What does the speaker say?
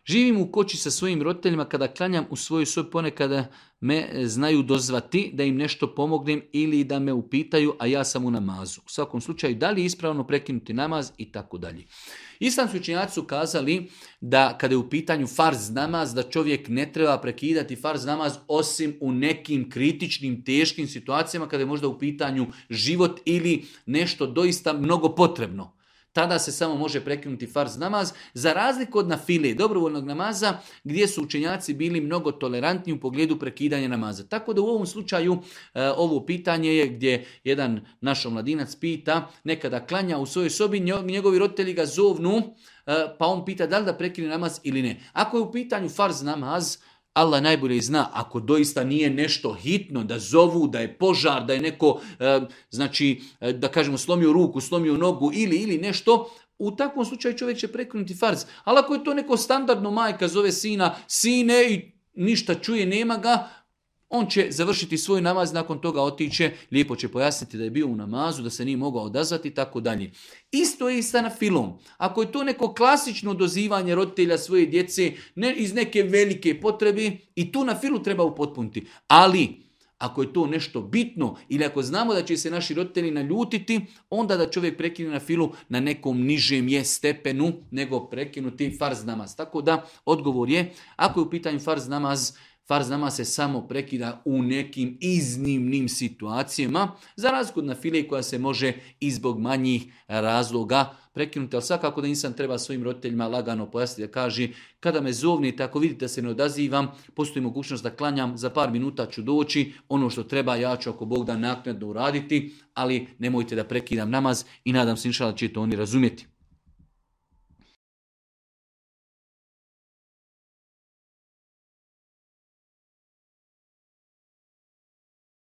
Živim u kući sa svojim roditeljima, kada klanjam u svojoj sobi ponekada me znaju dozvati da im nešto pomognem ili da me upitaju, a ja sam u namazu. U svakom slučaju, da li je ispravno prekinuti namaz i tako dalje. Islamski učenjaci su kazali da kada je u pitanju farz namaz, da čovjek ne treba prekidati farz namaz osim u nekim kritičnim, teškim situacijama kada je možda u pitanju život ili nešto doista mnogo potrebno. Tada se samo može prekinuti farz namaz, za razliku od nafile, dobrovoljnog namaza, gdje su učenjaci bili mnogo tolerantni u pogledu prekidanja namaza. Tako da u ovom slučaju ovo pitanje je gdje jedan naš omladinac pita, nekada klanja u svojoj sobi, njegovi roditelji ga zovnu, pa on pita da li da prekine namaz ili ne. Ako je u pitanju farz namaz, Allah najbolje zna, ako doista nije nešto hitno, da zovu, da je požar, da je neko, da kažemo, slomio ruku, slomio nogu ili nešto, u takvom slučaju čovjek će prekinuti farz. Ali ako je to neko standardno, majka zove sina, sine i ništa čuje, nema ga, on će završiti svoj namaz, nakon toga otiće, lijepo će pojasniti da je bio u namazu, da se nije mogao odazvati i tako dalje. Isto je i sa nafilom. Ako je to neko klasično dozivanje roditelja svoje djece iz neke velike potrebe, i tu nafilu treba upotpuniti. Ali ako je to nešto bitno ili ako znamo da će se naši roditelji naljutiti, onda da čovjek prekine nafilu na nekom nižem stepenu nego prekinuti farz namaz. Tako da odgovor je, ako je u pitanju farz namaz se samo prekida u nekim iznimnim situacijama, za razliku od nafile koja se može i zbog manjih razloga prekinuti. Ali svakako da insan treba svojim roditeljima lagano pojasniti, da kaže, kada me zovnite, ako vidite da se ne odazivam, postoji mogućnost da klanjam, za par minuta ću doći, ono što treba ja ću ako Bog da naknadno uraditi, ali nemojte da prekidam namaz i nadam se inšallah će to oni razumjeti.